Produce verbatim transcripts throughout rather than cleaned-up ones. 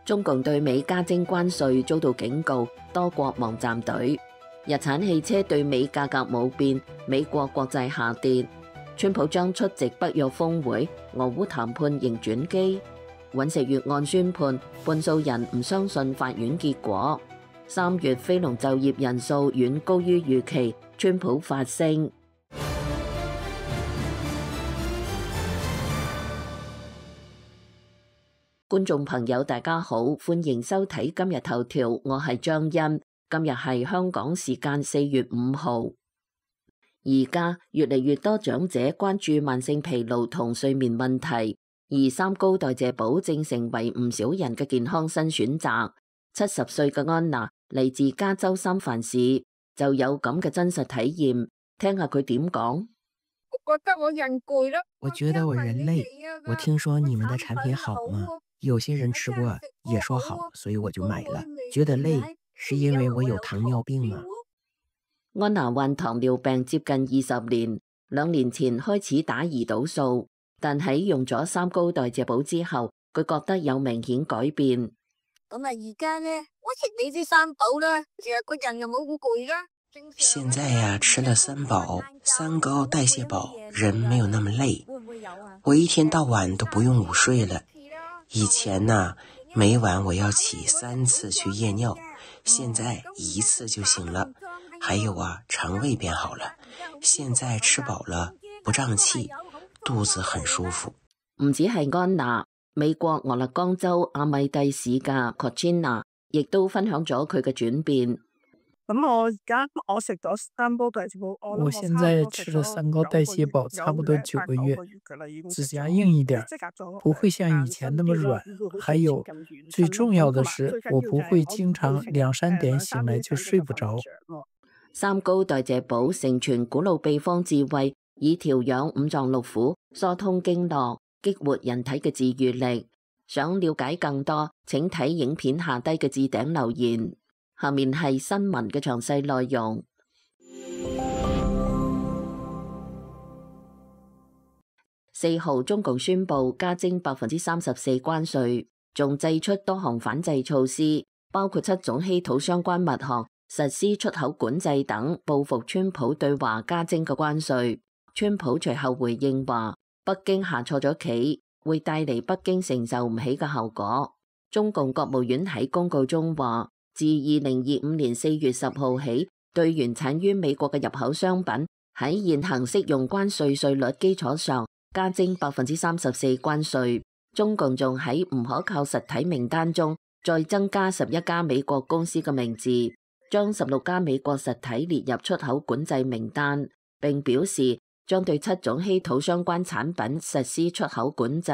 中共對美加徵關稅遭到警告，多國望站隊。日產汽車對美價格冇變，美國國債下跌。川普將出席北約峰會，俄烏談判仍轉機。尹錫悅案宣判，半數人唔相信法院結果。三月非農就業人數遠高於預期，川普發聲。觀眾朋友大家好，歡迎收睇今日頭條，我係張欣。今日係香港時間四月五號。而家越嚟越多長者關注慢性疲勞同睡眠問題，而三高代謝寶正成為唔少人嘅健康新選擇。七十歲嘅安娜嚟自加州三藩市，就有咁嘅真實體驗，聽下佢點講。我覺得我人攰咯，我覺得我人累。我聽說你們的產品好嗎？有些人吃過也說好，所以我就買了。覺得累是因為我有糖尿病嗎？安娜患糖尿病接近二十年，兩年前開始打胰島素，但喺用咗三高代謝寶之後，佢覺得有明顯改變。咁啊，而家呢，我食你啲三寶啦，成日個人又冇咁攰啦。現在呀、啊，吃了三寶、三高代謝寶，人沒有那麼累。我一天到晚都不用午睡了。以前呢、啊，每晚我要起三次去夜尿，現在一次就行了。還有啊，腸胃變好了，現在吃飽了不脹氣，肚子很舒服。唔止係安娜，美國俄勒岡州阿米蒂市嘅 Cochina 亦都分享咗佢嘅轉變。咁我而家我食咗三高代謝寶，我現在吃了三高代謝寶差不多九個月，指甲硬一點，不會像以前那麼軟。還有最重要的是，我不會經常兩三點醒來就睡不着。三高代謝寶承傳古老秘方智慧，以調養五臟六腑、疏通經絡、激活人體嘅治癒力。想了解更多，請睇影片下低嘅置頂留言。下面係新聞嘅詳細內容。四號，中共宣布加徵百分之三十四關稅，仲祭出多項反制措施，包括七種稀土相關物項實施出口管制等，報復川普對華加徵嘅關稅。川普隨後回應話，北京下錯咗棋，會帶嚟北京承受唔起嘅後果。中共國務院喺公告中話，自二零二五年四月十號起，對原產於美國嘅入口商品喺現行適用關稅稅率基礎上加徵百分之三十四關稅。中共仲喺唔可靠實體名單中再增加十一家美國公司嘅名字，將十六家美國實體列入出口管制名單，並表示將對七種稀土相關產品實施出口管制。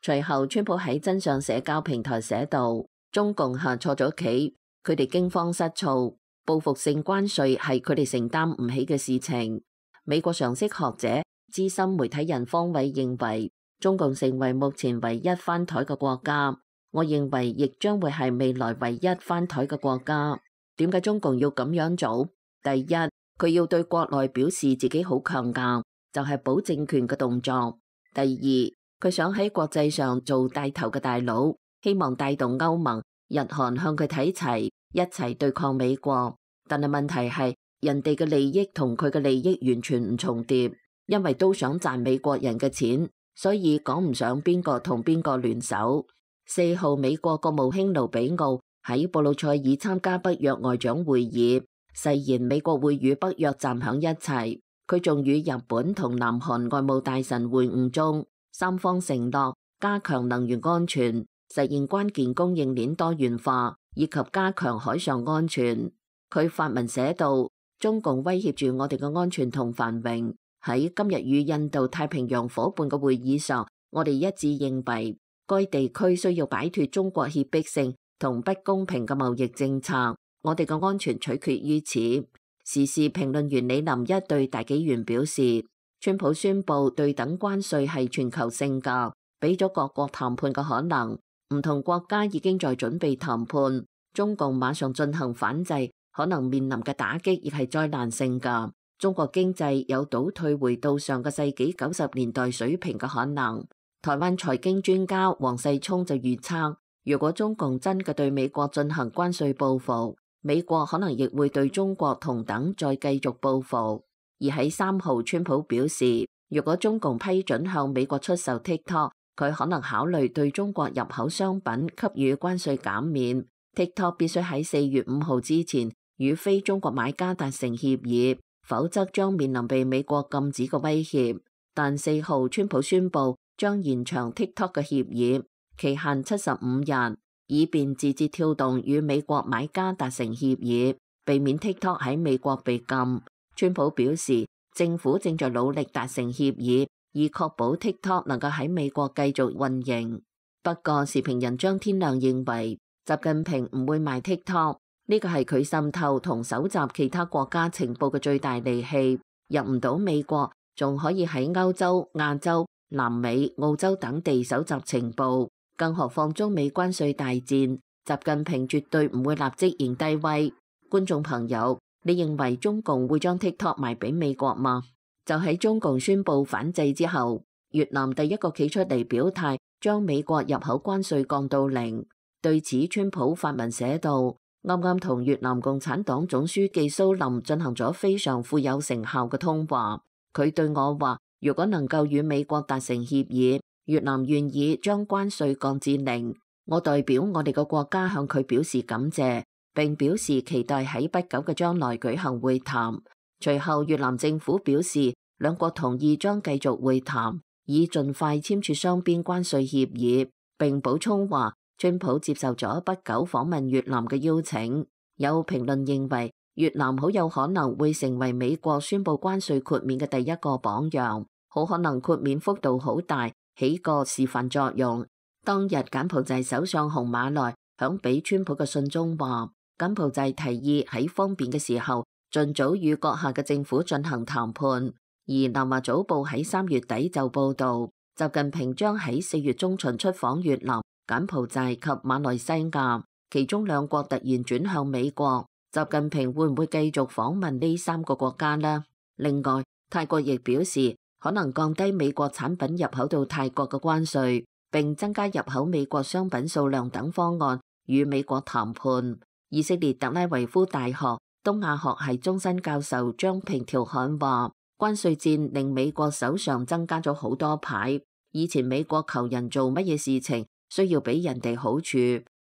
隨後，川普喺真相社交平台寫道：中共下錯咗棋。佢哋驚慌失措，報復性關稅係佢哋承擔唔起嘅事情。美國常識學者、資深媒體人方偉認為，中共成為目前唯一翻台嘅國家，我認為亦將會係未來唯一翻台嘅國家。點解中共要咁樣做？第一，佢要對國內表示自己好強硬，就係保政權嘅動作。第二，佢想喺國際上做帶頭嘅大佬，希望帶動歐盟、日韓向佢睇齊，一齊對抗美國。但係問題係，人哋嘅利益同佢嘅利益完全唔重疊，因為都想賺美國人嘅錢，所以講唔上邊個同邊個聯手。四號，美國國務卿盧比奧喺布魯塞爾參加北約外長會議，誓言美國會與北約站響一齊。佢仲與日本同南韓外務大臣會晤中，三方承諾加強能源安全，實現關鍵供應鏈多元化，以及加強海上安全。佢發文寫道：中共威脅住我哋嘅安全同繁榮。喺今日與印度太平洋夥伴嘅會議上，我哋一致認為，該地區需要擺脫中國脅迫性同不公平嘅貿易政策。我哋嘅安全取決於此。時事評論員李林一對大紀元表示，川普宣布對等關稅係全球性㗎，俾咗各國談判嘅可能。唔同國家已經在準備談判，中共馬上進行反制，可能面臨嘅打擊亦係災難性㗎。中國經濟有倒退回到上個世紀九十年代水平嘅可能。台灣財經專家黃世聰就預測，如果中共真嘅對美國進行關稅報復，美國可能亦會對中國同等再繼續報復。而喺三號，川普表示，如果中共批准向美國出售 TikTok， 佢可能考慮對中國入口商品給予關稅減免。TikTok 必須喺四月五號之前與非中國買家達成協議，否則將面臨被美國禁止嘅威脅。但四號，川普宣布將延長 TikTok 嘅協議期限七十五日，以便字節跳動與美國買家達成協議，避免 TikTok 喺美國被禁。川普表示，政府正在努力達成協議，以確保 TikTok 能夠喺美國繼續運營。不過，時評人張天亮認為，習近平唔會賣 TikTok， 呢個係佢滲透同搜集其他國家情報嘅最大利器。入唔到美國，仲可以喺歐洲、亞洲、南美、澳洲等地搜集情報。更何況中美關稅大戰，習近平絕對唔會立即認低威。觀眾朋友，你認為中共會將 TikTok 賣俾美國嗎？就喺中共宣布反制之後，越南第一個企出嚟表態，將美國入口關稅降到零。對此，川普發文寫道：啱啱同越南共產黨總書記蘇林進行咗非常富有成效嘅通話。佢對我話，如果能夠與美國達成協議，越南願意將關稅降至零。我代表我哋嘅國家向佢表示感謝，並表示期待喺不久嘅將來舉行會談。隨後，越南政府表示，兩國同意將繼續會談，以盡快簽署雙邊關稅協議。並補充話，川普接受咗不久訪問越南嘅邀請。有評論認為，越南好有可能會成為美國宣布關稅豁免嘅第一個榜樣，好可能豁免幅度好大，起個示範作用。當日柬埔寨首相洪馬來響俾川普嘅信中話，柬埔寨提議喺方便嘅時候，盡早與閣下嘅政府進行談判。而南華早報喺三月底就報道，習近平將喺四月中旬出訪越南、柬埔寨及馬來西亞，其中兩國突然轉向美國。習近平會唔會繼續訪問呢三個國家呢？另外，泰國亦表示可能降低美國產品入口到泰國嘅關稅，並增加入口美國商品數量等方案與美國談判。以色列特拉維夫大學東亞學系終身教授張平調侃話，關稅戰令美國手上增加咗好多牌。以前美國求人做乜嘢事情需要俾人哋好處，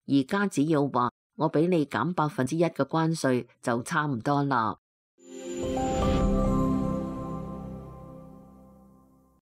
而家只要話我俾你減百分之一嘅關稅就差唔多啦。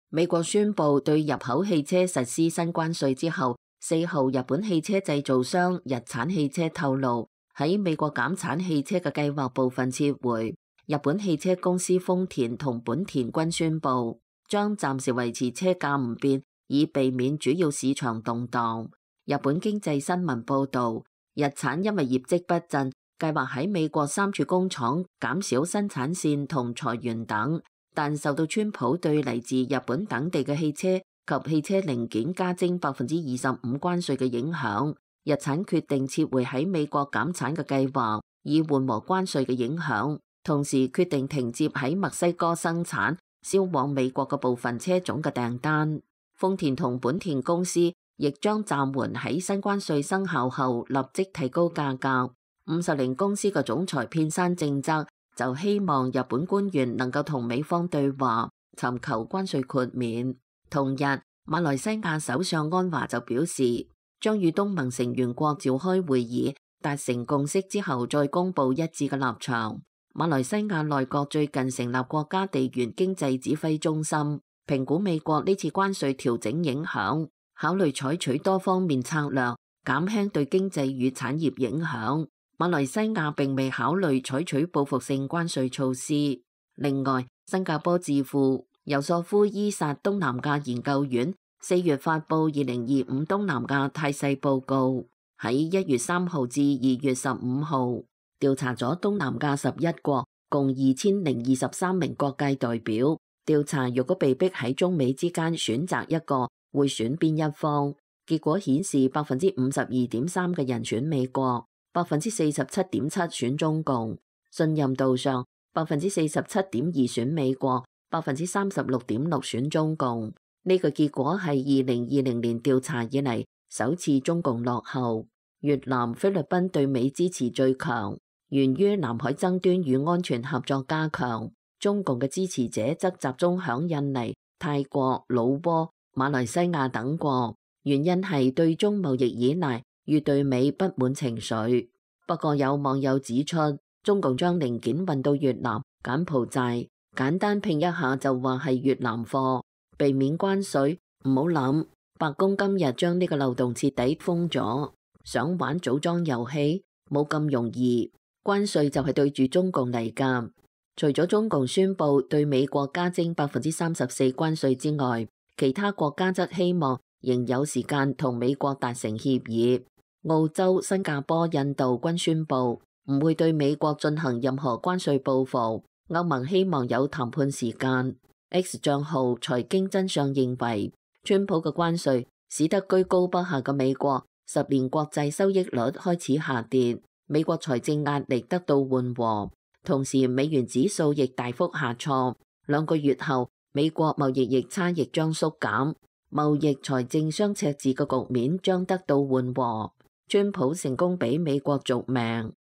美國宣布對入口汽車實施新關稅之後，四號日本汽車製造商日產汽車透露，喺美國減產汽車嘅計劃部分撤回。日本汽車公司豐田同本田均宣布將暫時維持車價唔變，以避免主要市場動盪。日本經濟新聞報道，日產因為業績不振，計劃喺美國三處工廠減少生產線同裁員等，但受到川普對嚟自日本等地嘅汽車及汽車零件加徵百分之二十五關稅嘅影響，日產決定撤回喺美國減產嘅計劃，以緩和關稅嘅影響，同時決定停接喺墨西哥生產銷往美國嘅部分車種嘅訂單。豐田同本田公司亦將暫緩喺新關稅生效後立即提高價格。五十鈴公司嘅總裁片山正則就希望日本官員能夠同美方對話，尋求關稅豁免。同日，馬來西亞首相安華就表示，將與東盟成員國召開會議，達成共識之後再公布一致嘅立場。馬來西亞內閣最近成立國家地緣經濟指揮中心，評估美國呢次關稅調整影響，考慮採取多方面策略，減輕對經濟與產業影響。馬來西亞並未考慮採取報復性關稅措施。另外，新加坡智庫尤索夫伊薩東南亞研究院四月發布二零二五東南亞態勢報告，喺一月三號至二月十五號調查咗東南亞十一國，共二千零二十三名各界代表。調查如果被逼喺中美之間選擇一個，會選邊一方？結果顯示百分之五十二點三嘅人選美國，百分之四十七點七選中共。信任度上，百分之四十七點二選美國，百分之三十六點六選中共。呢個結果係二零二零年調查以嚟首次中共落後。越南、菲律賓對美支持最強，源於南海爭端與安全合作加強。中共嘅支持者則集中響印尼、泰國、老撾、馬來西亞等國，原因係對中貿易依賴與對美不滿情緒。不過有網友指出，中共將零件運到越南、柬埔寨，簡單拼一下就話係越南貨，避免關稅。唔好諗，白宮今日將呢個漏洞徹底封咗。想玩組裝遊戲冇咁容易，關稅就係對住中共嚟㗎。除咗中共宣布對美國加徵百分之三十四關稅之外，其他國家則希望仍有時間同美國達成協議。澳洲、新加坡、印度均宣布唔會對美國進行任何關稅報復。歐盟希望有談判時間。X 賬號財經真相認為，川普嘅關稅使得居高不下嘅美國十年國債收益率開始下跌，美國財政壓力得到緩和，同時美元指數亦大幅下挫。兩個月後，美國貿易逆差亦將縮減，貿易財政雙赤字嘅局面將得到緩和。川普成功俾美國續命。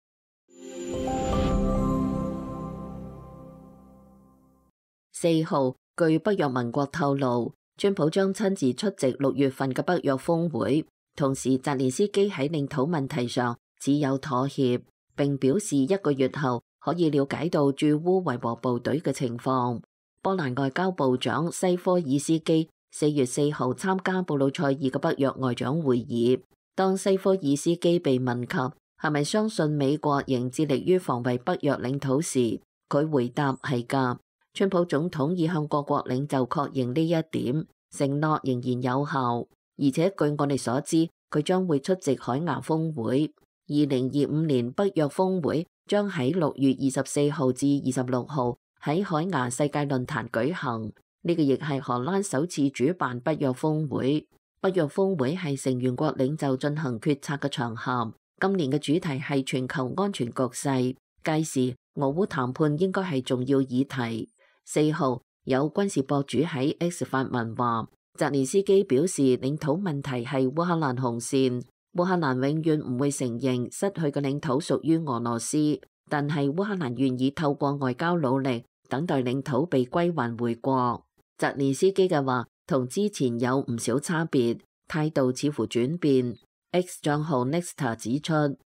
四號，據北約盟國透露，川普將親自出席六月份嘅北約峰會。同時，澤連斯基喺領土問題上只有妥協，並表示一個月後可以了解到駐烏維和部隊嘅情況。波蘭外交部長西科爾斯基四月四號參加布魯塞爾嘅北約外長會議。當西科爾斯基被問及係咪相信美國仍致力於防衛北約領土時，佢回答係㗎。川普總統已向各國領袖確認呢一點，承諾仍然有效。而且據我哋所知，佢將會出席海牙峰會。二零二五年北約峰會將喺六月二十四號至二十六號喺海牙世界論壇舉行。呢個亦係荷蘭首次主辦北約峰會。北約峰會係成員國領袖進行決策嘅場合。今年嘅主題係全球安全局勢，屆時俄烏談判應該係重要議題。四號有軍事博主喺 X 發文話，澤連斯基表示領土問題係烏克蘭紅線，烏克蘭永遠唔會承認失去嘅領土屬於俄羅斯，但係烏克蘭願意透過外交努力等待領土被歸還回國。澤連斯基嘅話同之前有唔少差別，態度似乎轉變。X 賬號 Nexta 指出，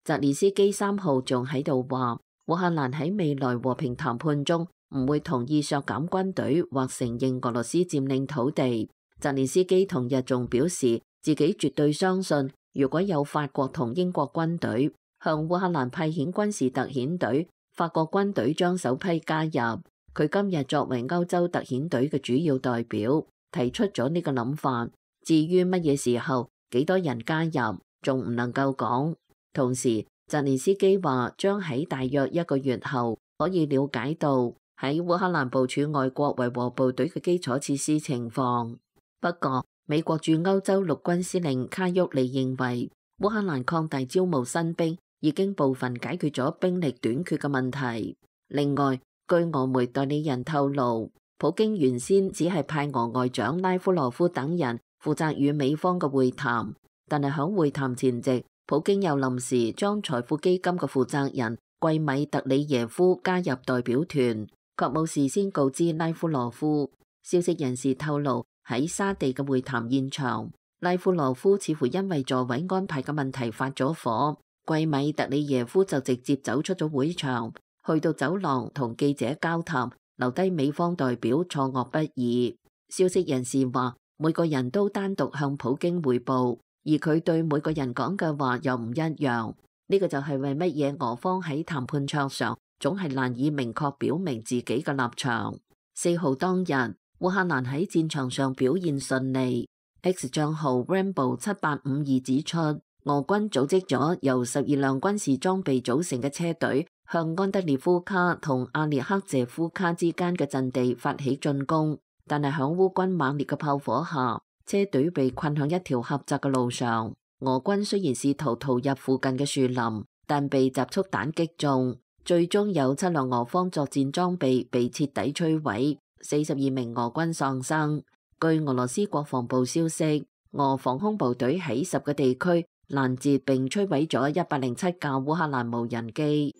澤連斯基三號仲喺度話，烏克蘭喺未來和平談判中唔會同意削減軍隊或承認俄羅斯佔領土地。澤連斯基同日仲表示，自己絕對相信，如果有法國同英國軍隊向烏克蘭派遣軍事特遣隊，法國軍隊將首批加入。佢今日作為歐洲特遣隊嘅主要代表，提出咗呢個諗法。至於乜嘢時候、幾多人加入，仲唔能夠講。同時，澤連斯基話將喺大約一個月後可以了解到喺烏克蘭部署外國維和部隊嘅基礎設施情況。不過，美國駐歐洲陸軍司令卡沃利認為，烏克蘭擴大招募新兵已經部分解決咗兵力短缺嘅問題。另外，據俄媒代理人透露，普京原先只係派俄外長拉夫羅夫等人負責與美方嘅會談，但係響會談前夕，普京又臨時將財富基金嘅負責人季米特里耶夫加入代表團，卻冇事先告知拉夫羅夫。消息人士透露，喺沙地嘅會談現場，拉夫羅夫似乎因為座位安排嘅問題發咗火，季米特里耶夫就直接走出咗會場，去到走廊同記者交談，留低美方代表錯愕不已。消息人士話，每個人都單獨向普京匯報，而佢對每個人講嘅話又唔一樣。呢個就係為乜嘢俄方喺談判桌上總係難以明確表明自己嘅立場。四號當日，烏克蘭喺戰場上表現順利。X 賬號 Rambo 七八五二指出，俄軍組織咗由十二輛軍事裝備組成嘅車隊，向安德烈夫卡同阿列克謝夫卡之間嘅陣地發起進攻，但係響烏軍猛烈嘅炮火下，車隊被困響一條狹窄嘅路上。俄軍雖然試圖逃入附近嘅樹林，但被集束彈擊中，最終有七輛俄方作戰裝備被徹底摧毀，四十二名俄軍喪生。據俄羅斯國防部消息，俄防空部隊喺十個地區攔截並摧毀咗一百零七架烏克蘭無人機。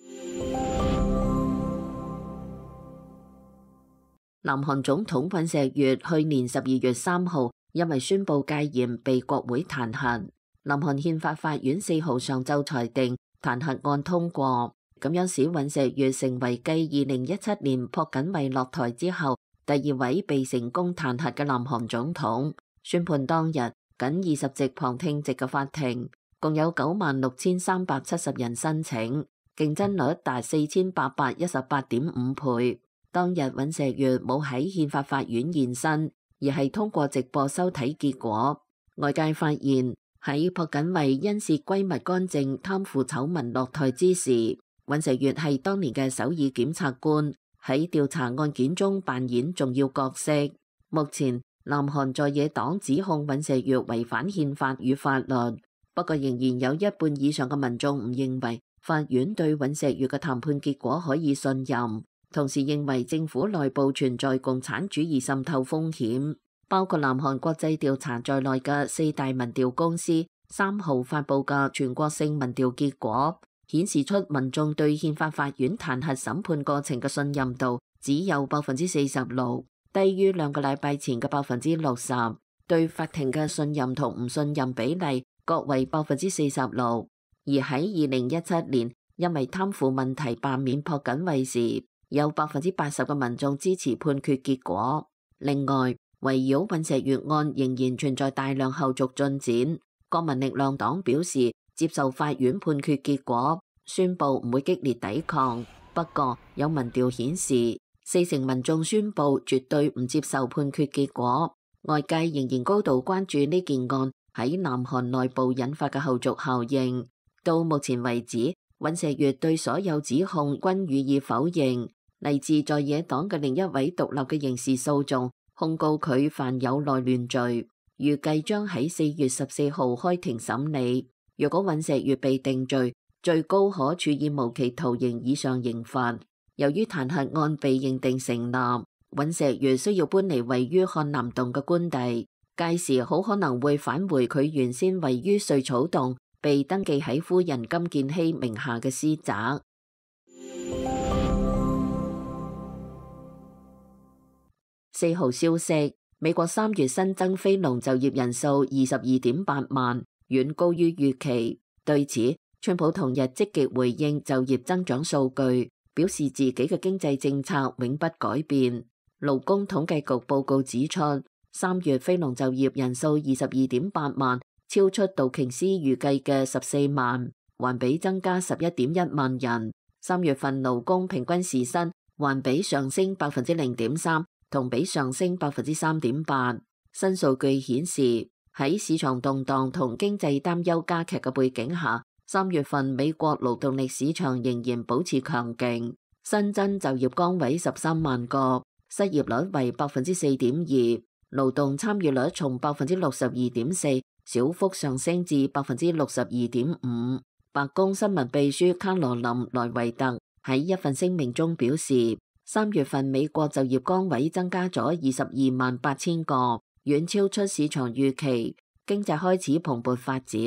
南韓總統尹錫悅去年十二月三號因為宣布戒嚴被國會彈劾。南韓憲法法院四號上晝裁定彈劾案通過，咁樣使尹錫悅成為繼二零一七年朴槿惠落台之後第二位被成功彈劾嘅南韓總統。宣判當日，僅二十席旁聽席嘅法庭，共有九萬六千三百七十人申請，競爭率達四千八百一十八點五倍。當日尹錫悅冇喺憲法法院現身，而係通過直播收睇結果。外界發現喺朴槿惠因涉閨蜜干政貪腐醜聞落台之時，尹錫悅係當年嘅首爾檢察官，喺調查案件中扮演重要角色。目前南韓在野黨指控尹錫悅違反憲法與法律，不過仍然有一半以上嘅民眾唔認為法院對尹錫悅嘅談判結果可以信任，同時認為政府內部存在共產主義滲透風險。包括南韓國際調查在內嘅四大民調公司三號發佈嘅全國性民調結果，顯示出民眾對憲法法院彈劾審判過程嘅信任度只有百分之四十六。低於兩個禮拜前嘅百分之六十，對法庭嘅信任同唔信任比例各為百分之四十六。而喺二零一七年，因為貪腐問題罷免朴槿惠時，有百分之八十嘅民眾支持判決結果。另外，圍繞尹錫悅案仍然存在大量後續進展。國民力量黨表示接受法院判決結果，宣布唔會激烈抵抗。不過有民調顯示，四成民眾宣布絕對唔接受判決結果，外界仍然高度關注呢件案喺南韓內部引發嘅後續效應。到目前為止，尹錫悅對所有指控均予以否認。嚟自在野黨嘅另一位獨立嘅刑事訴訟控告佢犯有內亂罪，預計將喺四月十四號開庭審理。若果尹錫悅被定罪，最高可處以無期徒刑以上刑罰。由於彈劾案被認定成立，尹錫悅需要搬離位於漢南洞嘅官邸，屆時好可能會返回佢原先位於瑞草洞、被登記喺夫人金建希名下嘅私宅。四號消息，美國三月新增非農就業人數二十二點八萬，遠高於預期。對此，川普同日積極回應就業增長數據，表示自己嘅經濟政策永不改變。勞工統計局報告指出，三月非農就業人數二十二點八萬，超出道瓊斯預計嘅十四萬，環比增加十一點一萬人。三月份勞工平均時薪環比上升百分之零點三，同比上升百分之三點八。新數據顯示，喺市場動盪同經濟擔憂加劇嘅背景下，三月份美國勞動力市場仍然保持強勁，新增就業崗位十三萬個，失業率為百分之四點二，勞動參與率從百分之六十二點四小幅上升至百分之六十二點五。白宮新聞秘書卡羅琳·萊維特喺一份聲明中表示，三月份美國就業崗位增加咗二十二萬八千個，遠超出市場預期，經濟開始蓬勃發展。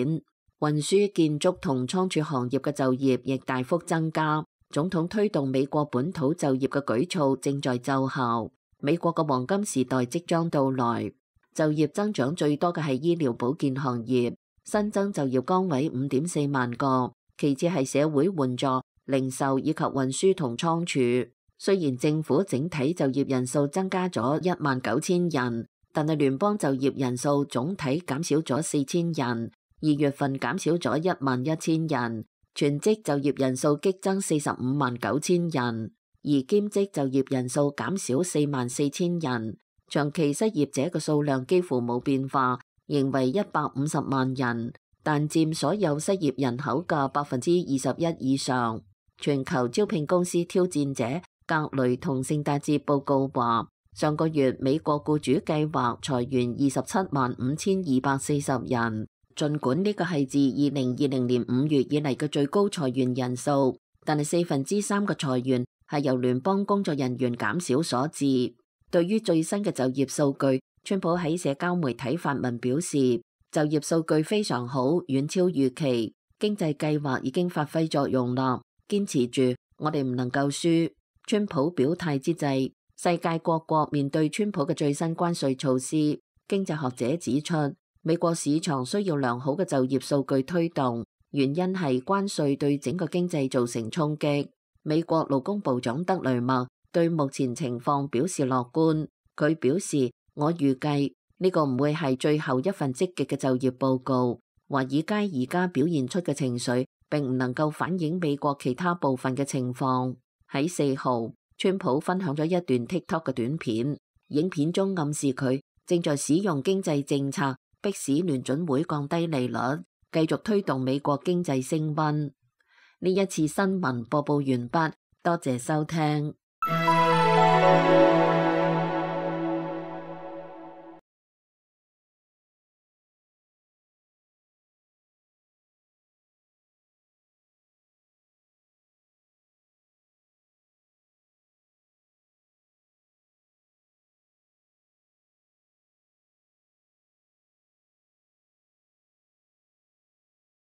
運輸、建築同倉儲行業嘅就業亦大幅增加。總統推動美國本土就業嘅舉措正在奏效。美國嘅黃金時代即將到來。就業增長最多嘅係醫療保健行業，新增就業崗位五點四萬個，其次係社會援助、零售以及運輸同倉儲。雖然政府整體就業人數增加咗一萬九千人，但係聯邦就業人數總體減少咗四千人，二月份減少咗一萬一千人，全職就業人數激增四十五萬九千人，而兼職就業人數減少四萬四千人，長期失業者嘅數量幾乎冇變化，仍為一百五十萬人，但佔所有失業人口嘅百分之二十一以上。全球招聘公司挑戰者格雷同聖達節報告話，上個月美國僱主計劃裁員二十七萬五千二百四十人，儘管呢個係自二零二零年五月以嚟嘅最高裁員人數，但係四分之三嘅裁員係由聯邦工作人員減少所致。對於最新嘅就業數據，川普喺社交媒體發文表示，就業數據非常好，遠超預期，經濟計劃已經發揮作用啦。堅持住，我哋唔能夠輸。川普表態之際，世界各國面對川普嘅最新關稅措施，經濟學者指出，美國市場需要良好嘅就業數據推動，原因係關稅對整個經濟造成衝擊。美國勞工部長德雷默對目前情況表示樂觀，佢表示：我預計呢個唔會係最後一份積極嘅就業報告。華爾街而家表現出嘅情緒並唔能夠反映美國其他部分嘅情況。喺四號，川普分享咗一段 TikTok 嘅短片，影片中暗示佢正在使用經濟政策迫使聯準會降低利率，繼續推動美國經濟升溫。呢一次新聞播報完畢，多謝收聽。